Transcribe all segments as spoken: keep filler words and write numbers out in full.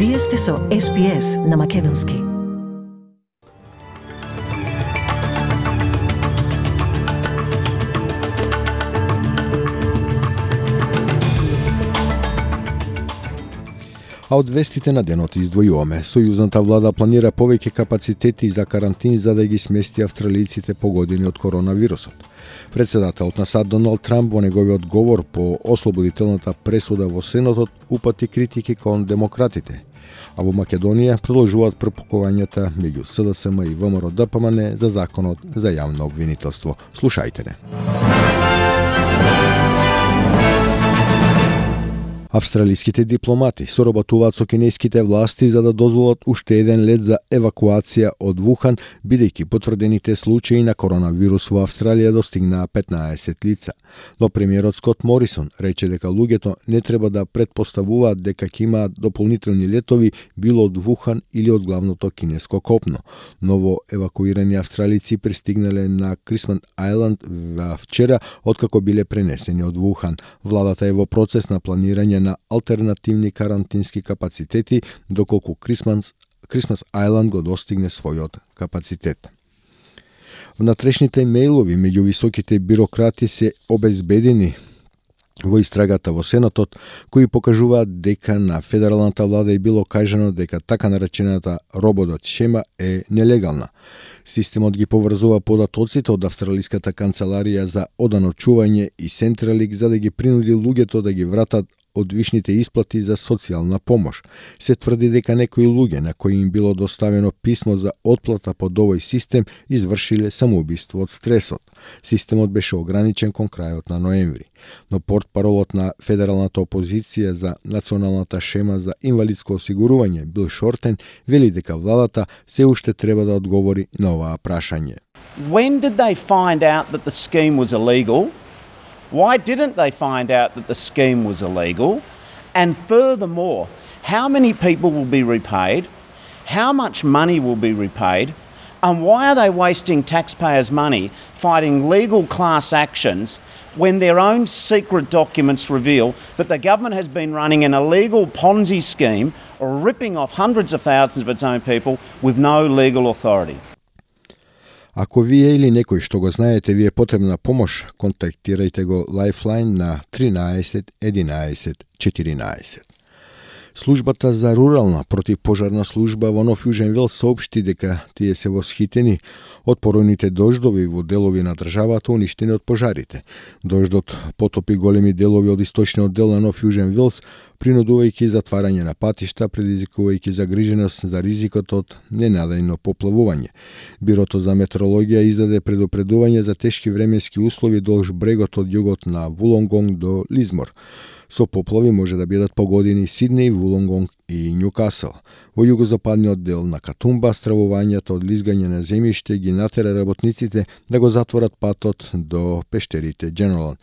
Вие сте со Ес Би Ес на Македонски. А од вестите на денот издвојуваме. Сојузната влада планира повеќе капацитети за карантин за да ги смести австралиците погодени од коронавирусот. Председателот на САД Доналд Трамп во неговиот говор по ослободителната пресуда во Сенатот упати критики кон демократите. А во Македонија продолжуваат пропукувањата меѓу С Д С М и В М Р Д П М Н за законот за јавно обвинителство. Слушајте не. Австралиските дипломати соработуваат со кинеските власти за да дозволат уште еден лет за евакуација од Вухан, бидејќи потврдените случаи на коронавирус во Австралија достигнаа петнаесет лица. Но премиерот Скот Морисон рече дека луѓето не треба да претпоставуваат дека ќе имаат дополнителни летови било од Вухан или од главното кинеско копно. Ново евакуирани австралици пристигнале на Крисман Ајланд вчера, откако биле пренесени од Вухан. Владата е во процес на планирање на алтернативни карантински капацитети, доколку Крисмас, Крисмас Ајланд го достигне својот капацитет. Внатрешните мејлови меѓу високите бирократи се обезбедени во истрагата во Сенатот, кои покажуваат дека на федералната влада е било кажано дека така наречената робот шема е нелегална. Системот ги поврзува податоците од Австралиската канцеларија за оданочување и Сентралик за да ги принуди луѓето да ги вратат од вишните исплати за социјална помош. Се тврди дека некои луѓе на кои им било доставено писмо за отплата под овој систем извршиле самоубиство од стресот. Системот беше ограничен кон крајот на ноември. Но портпаролот на федералната опозиција за националната шема за инвалидско осигурување Бил Шортен вели дека владата се уште треба да одговори на оваа прашање. When did they find out that the scheme was illegal? Why didn't they find out that the scheme was illegal? And furthermore, how many people will be repaid? How much money will be repaid? And why are they wasting taxpayers' money fighting legal class actions when their own secret documents reveal that the government has been running an illegal Ponzi scheme or ripping off hundreds of thousands of its own people with no legal authority? Ако вие или некој што го знаете ви е потребна помош, контактирајте го Lifeline на тринаесет единаесет четиринаесет. Службата за рурална противпожарна служба во Нов Јужен Велс соопшти дека тие се восхитени од поројните дождови во делови на државата уништени од пожарите. Дождот потопи големи делови од источниот дел на Нов Јужен Велс, принудувајќи затварање на патишта, предизвикувајќи загриженост за ризикот од ненадејно поплавување. Бирото за метеорологија издаде предупредување за тешки временски услови долж брегот од југот на Вулонгонг до Лизмор. Со поплави може да бидат погодени Сиднеј, Вулонгонг и Њукасел. Во југозападниот дел на Катумба стравувањето од лизгање на земјиште ги натера работниците да го затворат патот до пештерите Дженералон.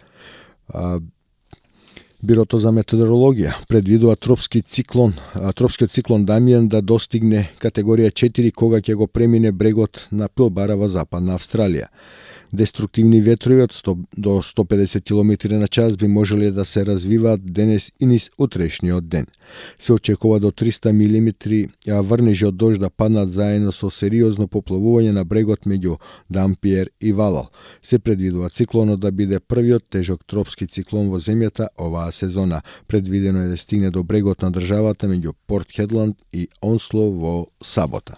Бирото за метеорологија предвидува тропски циклон, тропскиот циклон Дамијан да достигне категорија четири кога ќе го премине брегот на Пилбара во Западна Австралија. Деструктивни ветрови од сто до сто педесет километри на час би можеле да се развиваат денес и низ утрешниот ден. Се очекува до триста милиметри врнежи од дожд да паднат заедно со сериозно поплавување на брегот меѓу Дампиер и Валал. Се предвидува циклонот да биде првиот тежок тропски циклон во земјата оваа сезона. Предвидено е да стигне до брегот на државата меѓу Порт Хедланд и Онсло во сабота.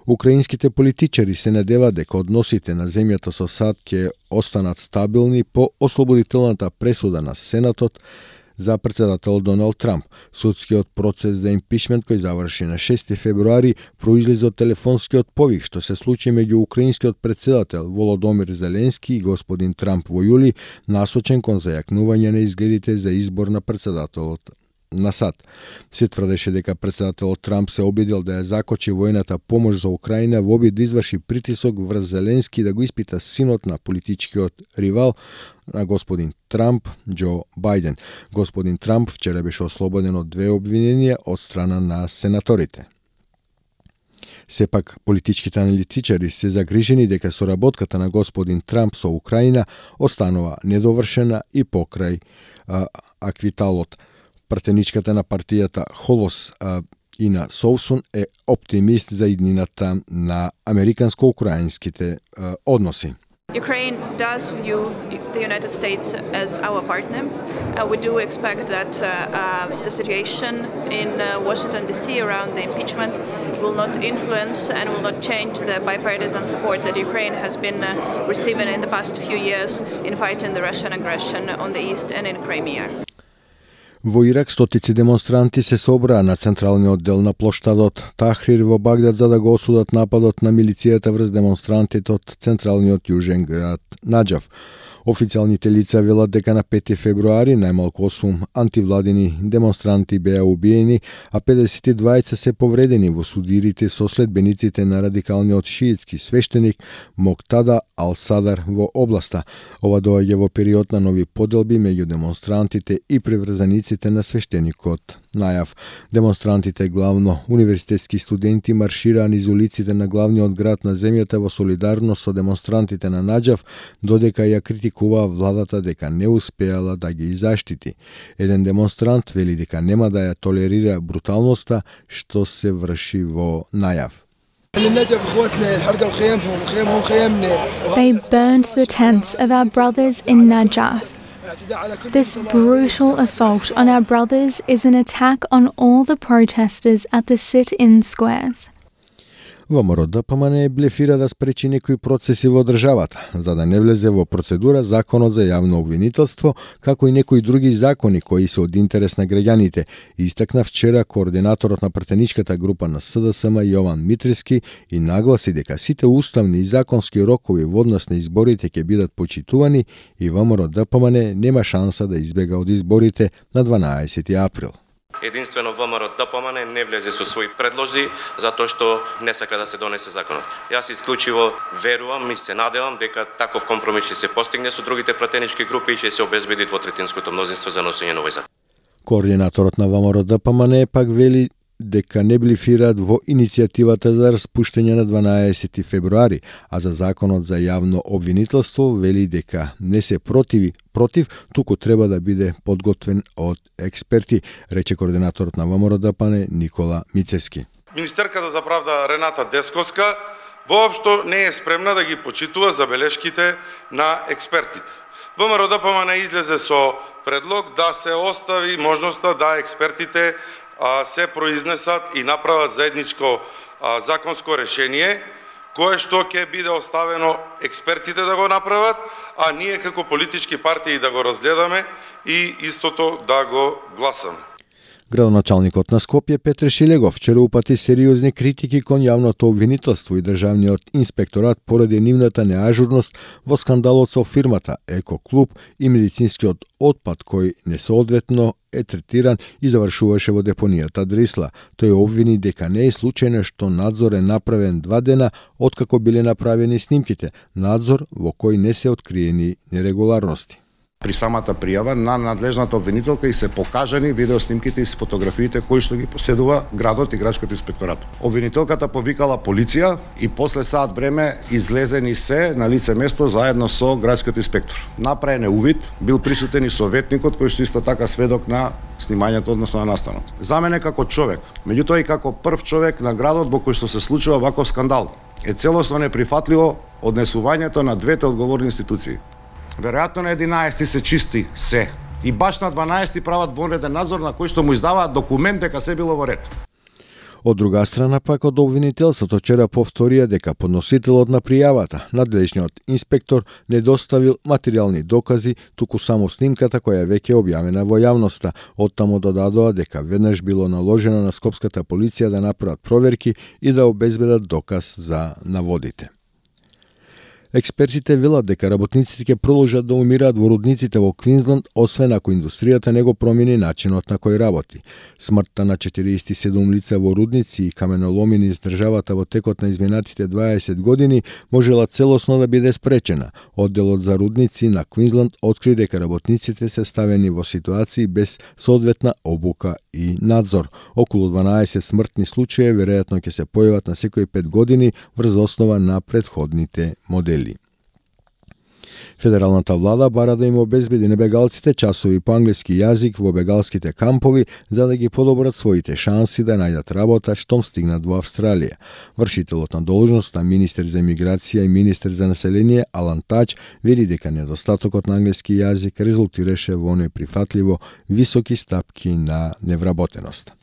Украинските политичари се надеваат дека односите на земјата со САД ќе останат стабилни по ослободителната пресуда на Сенатот за председател Доналд Трамп. Судскиот процес за импичмент кој заврши на шести февруари произлезе од телефонскиот повик што се случи меѓу украинскиот председател Володомир Зеленски и господин Трамп во јули, насочен кон зајакнување на изгледите за избор на председателот на САД. Се тврдеше дека председателот Трамп се обидел да ја закочи војната помош за Украина во обид да изврши притисок врз Зеленски да го испита синот на политичкиот ривал на господин Трамп, Џо Бајден. Господин Трамп вчера беше ослободен од две обвиненија од страна на сенаторите. Сепак, политичките аналитичари се загрижени дека соработката на господин Трамп со Украина останува недовршена и покрај а, аквиталот. Пратеничката на партијата Холос Ина Соусун е оптимист за иднината на американско-украинските односи. Ukraine does view the United States as our partner. Uh, we do expect that uh, uh, the situation in uh, Washington D C around the impeachment will not influence and will not change the bipartisan support that Ukraine has been uh, receiving in the past few years in fighting the Russian aggression on the east and in Crimea. Во Ирак стотици демонстранти се собраа на централниот дел на плоштадот Тахрир во Багдад за да го осудат нападот на милицијата врз демонстрантите од централниот јужен град Наџаф. Официјалните лица велат дека на пети февруари најмалку осум антивладини демонстранти беа убиени, а педесет и двајца се повредени во судирите со следбениците на радикалниот шиитски свештеник Моктада Ал-Садар во областа. Ова доаѓа во период на нови поделби меѓу демонстрантите и приврзаниците на свештеникот Најав. Демонстрантите, главно универзитетски студенти, маршираа низ улиците на главниот град на земјата во солидарност со демонстрантите на Наџаф, додека ја критикуваа владата дека не успеала да ги заштити. Еден демонстрант вели дека нема да ја толерира бруталноста што се врши во Најав. They burned the tents of our brothers in Najaf. This brutal assault on our brothers is an attack on all the protesters at the sit-in squares. ВМРО ДПМН блефира да спречи некои процеси во државата, за да не влезе во процедура законот за јавно обвинителство, како и некои други закони кои се од интерес на граѓаните, истакна вчера координаторот на пратеничката група на СДСМ Јован Митриски и нагласи дека сите уставни и законски рокови во однос на изборите ќе бидат почитувани и ВМРО ДПМН нема шанса да избега од изборите на дванаесети април. Единствено ВМРО ДПМН не влезе со своји предлози затоа што не сака да се донесе законот. Јас исклучиво верувам и се надевам дека таков компромис ќе се постигне со другите пратенички групи и ќе се обезбеди двотретинското мнозинство за носење на овој закон. Координаторот на ВМРО ДПМН пак вели дека не блефираат во иницијативата за распуштање на дванаесети февруари, а за законот за јавно обвинителство вели дека не се противи против, туку треба да биде подготвен од експерти, рече координаторот на ВМРО ДПМН Никола Мицевски. Министерката за правда Рената Десковска воопшто не е спремна да ги почитува забелешките на експертите. ВМРО ДПМН излезе со предлог да се остави можноста да експертите се произнесат и направат заедничко законско решение, кое што ќе биде оставено експертите да го направат, а ние како политички партии да го разгледаме и истото да го гласаме. Градоначалникот на Скопје Петре Шилегов вчера упати сериозни критики кон јавното обвинителство и државниот инспекторат поради нивната неажурност во скандалот со фирмата Еко Клуб и медицинскиот отпад кој несоодветно е третиран и завршуваше во депонијата Дрисла. Тој обвини дека не е случајно што надзор е направен два дена откако биле направени снимките, надзор во кој не се откриени нерегуларности. При самата пријава на надлежната обвинителка и се покажани видеоснимките и фотографиите кои што ги поседува градот и градскиот инспекторат. Обвинителката повикала полиција и после саат време излезени се на лице место заедно со градскиот инспектор. Направен е увид, бил присутен и советникот кој што исто така сведок на снимањето односно на настанот. За мене како човек, меѓутоа и како прв човек на градот во кој што се случува ваков скандал, е целосно неприфатливо однесувањето на двете одговорни институции. Веројатно на единаесети се чисти се. И баш на дванаесети прават вонреден надзор на кој што му издаваат документ дека се било во ред. Од друга страна пак од обвинителството вчера повторија дека подносителот на пријавата, надлежниот инспектор, не доставил материјални докази, туку само снимката која веќе објавена во јавноста. Оттаму додадоа дека веднаш било наложено на скопската полиција да направат проверки и да обезбедат доказ за наводите. Експертите велат дека работниците ќе продолжат да умираат во рудниците во Квинсленд, освен ако индустријата не го промени начинот на кој работи. Смртта на четириесет и седум лица во рудници и каменоломи низ државата во текот на изминатите дваесет години можела целосно да биде спречена. Одделот за рудници на Квинсленд откри дека работниците се ставени во ситуации без соодветна обука и надзор. Околу дванаесет смртни случаи веројатно ќе се појават на секои пет години врз основа на претходните модели. Федералната влада бара да им обезбеди небегалците часови по англиски јазик во бегалските кампови за да ги подобрат своите шанси да најдат работа штом стигнат во Австралија. Вршителот на должноста, министер за емиграција и министер за население Алан Тач вели дека недостатокот на англиски јазик резултираше во неприфатливо високи стапки на невработеност.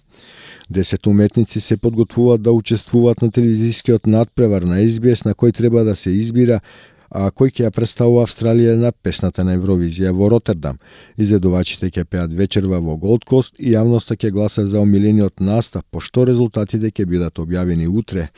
Десет уметници се подготвуваат да учествуваат на телевизискиот надпревар на Ес Би Ес на кој треба да се избира а кој ќе ја представува Австралија на песната на Евровизија во Ротердам. Изедувачите ќе пеат вечерва во Голд Кост и јавноста ќе гласа за омилениот настап, пошто резултатите ќе бидат објавени утре,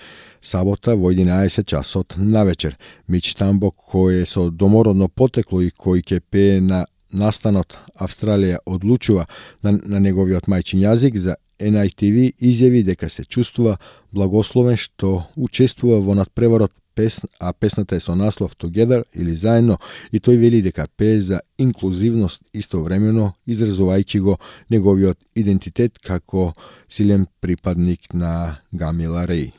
сабота во единаесет часот навечер. Мич Тамбо, кој е со домородно потекло и кој ќе пее на настанот Австралија одлучува на, на неговиот мајчин јазик за Ен Ај Ти Ви, изјави дека се чувствува благословен што учествува во надпреварот, песн, а песната е со наслов Together или Заедно, и тој вели дека пее за инклузивност истовремено изразувајќи го неговиот идентитет како силен припадник на Гамила Реј.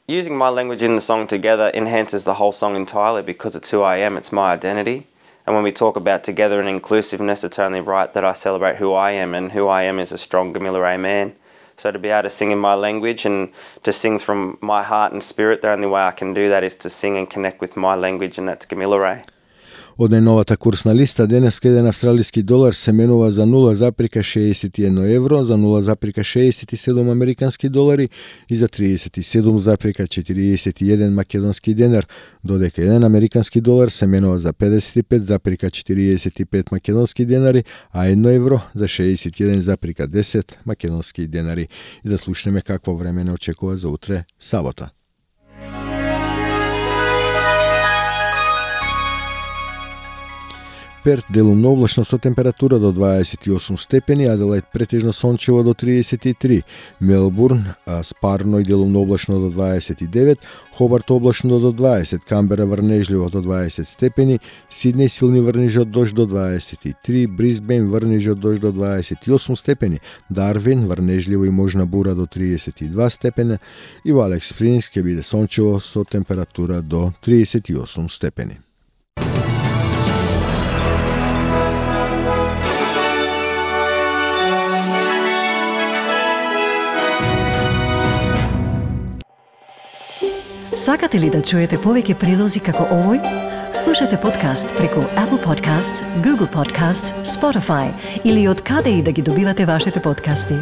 Using my language in the song Together enhances the whole song entirely because it's who I am, it's my identity. And when we talk about together and inclusiveness, it's only right that I celebrate who I am, and who I am is a strong Gamilla Ray man. So to be able to sing in my language and to sing from my heart and spirit, the only way I can do that is to sing and connect with my language, and that's Gamilla Ray. Од најновата курсна листа, денеска еден австралиски долар се менува за нула запирка шеесет и едно евро, за нула запирка шеесет и седум американски долари и за тридесет и седум запирка четириесет и еден македонски денар, додека еден американски долар се менува за педесет и пет запирка четириесет и пет македонски денари, а едно евро за шеесет и еден запирка десет македонски денари. И да слушнеме какво време не очекува за утре, сабота. Перт делумно облачно со температура до дваесет и осум степени, Аделаид претежно сончево до тридесет и три, Мелбурн спарно и делумно облачно до дваесет и девет, Хобарт облачно до дваесет, Камбера врнежливо до дваесет степени, Сиднеј силни врнежи од дожд до дваесет и три, Брисбен врнежи од дожд до дваесет и осум степени, Дарвин врнежливо и можна бура до тридесет и два степени и во Алекс Спрингс ќе биде сончево со температура до тридесет и осум степени. Сакате ли да чуете повеќе прилози како овој? Слушате подкаст преку Apple Podcasts, Google Podcasts, Spotify или од каде и да ги добивате вашите подкасти.